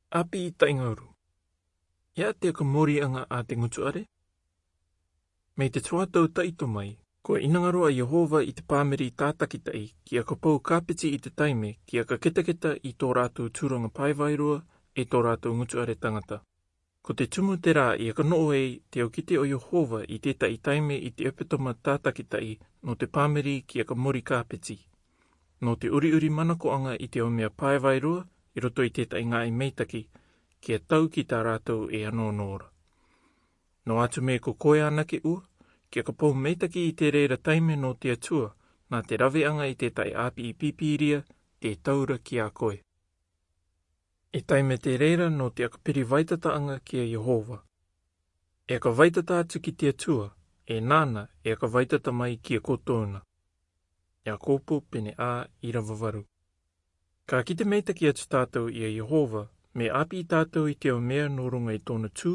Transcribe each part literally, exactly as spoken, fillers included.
Api i taʻingauru. E a te aka mōriaga a te ngutuʻare? Mai te tuatau taʻito mai, kua inanga roa a Iehova i te pāmiri tātakitaʻi ki aka pou kāpeti i te taime ki aka ketaketa i tō rātou tūraga paevaeroa e tō rātou ngutuʻare tagata. Ko te tumu terā i aka noʻo ei te aukite o Iehova i tētaʻi taime i te epetoma tātakitaʻi nō te pāmiri ki aka mori kāpeti, nō te uriuri manakoʻaga i te ao mea paevaeroa i roto i tētaʻi ngaahi meitaki, kia tau ki tā rātou e anōnō ra. Nō atu mea ko koe anake ua, ki aka pou meitaki i te reira taime nō te Atua, nā te raveaga i tētaʻi api i pīpīria, te taura ki a koe. E taime te reira nō te aka piri vaitataʻaga ki a Iehova. E aka vaitata atu ki te Atua, e nāna e aka vaitata mai ki a koutou na. Iakopo pene a irava varu. Ka kite meitaki atu tātou i a Iehova, me api i tātou i te ao mea nō ruga i tōna tū,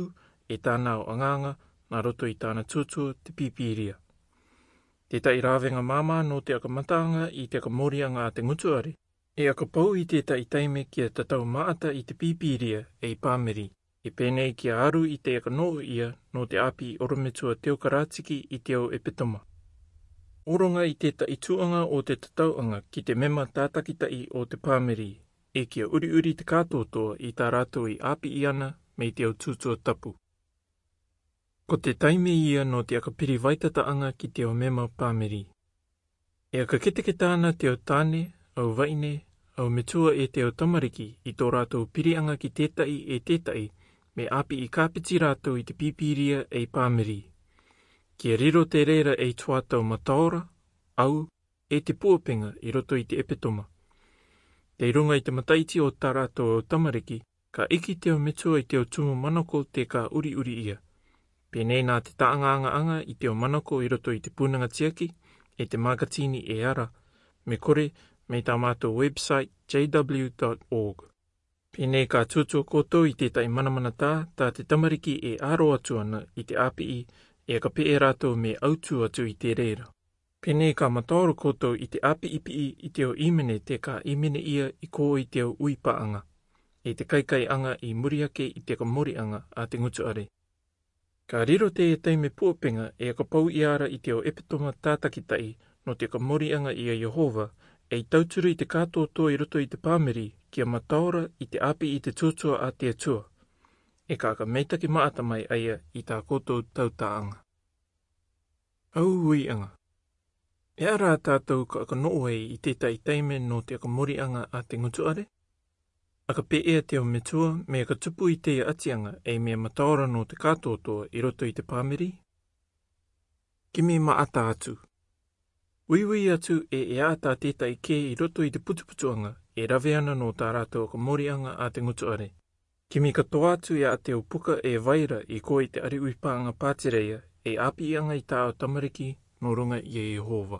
e tāna ao agaga, nā roto i tāna tūtua te pīpīria. Tētaʻi ravega māmā nō te aka mataaga i te aka mōriaga a te ngutuʻare, e aka pou i tētaʻi taime kia tatau maata i te pīpīria ei pāmiri, e pēnei kia aru i te aka noʻo ia nō te api orometua teokaratiki i te ao epetoma. Oruga i tētaʻi tūʻaga o te tatauʻaga ki te mema tātakitaʻi o te pāmiri, e kia uriuri te kātōtō i tā rātou i api i ana mei te ao tūtua tapu. Ko te taime ia nō te aka piri vaitataʻaga ki te ao mema pāmiri. E aka keteketa ana te ao tāne, au vaine, au metua e te ao tamariki i tō rātou piriaga ki tētaʻi e tētaʻi, me api i kāpeti rātou i te pīpīria ei pāmiri. Kia riro te reira ei tuatau mataora, au, e te puapega i roto i te epetoma. Tei ruga i te mataiti o tā rātou au tamariki, ka iki te ao metua i te ao tumu manako te ka uriuri ia. Pēnei nā te taʻanga agaaga i te ao manako i roto i te pūnaga tiaki, e te makatini e ara, me kore, mei tā mātou website J W dot org. Pēnei ka tūtua koutou i tētaʻi manamanatā, tā te tamariki e aro atu ana i te api i, e ka peʻe rātou me autu atu i te reira. Pēnei ka mataora koutou i te api i piʻi i te ao imene te ka imene ia i kō i te ao uipaaga, e te kaikaiaga i muri ake i te ka moriaga a te ngutuʻare. Ka riro te e taime puapega e ka pau i ara i te ao epetoma tātakitaʻi nō te ka moriaga i a Iehova, ei tauturu i te kātōtō i roto i te pāmiri kia mataora i te api i te tūtua a te Atua. E ka ka meitaki maata mai aia i tā koutou tautaʻaga. Au uiaga. E ara tātou ka ka noʻo ei i tētaʻi taime nō te ka moriaga a te ngutuʻare? Aka peʻea te ao metua, mea ka tupu i te atiaga ei mea mataora nō te kātōtō i roto i te pāmiri? Kimi maata atu. Uiui atu e e ata tētaʻi kē i roto i te putuputuaga, e rave ana nō tā rātou ka moriaga a te ngutuʻare. Kimi katoa atu e a te au puka e vaira i kō i te ari uipaaga pātereia, e apiaga i tā au tamariki nō ruga i a Iehova.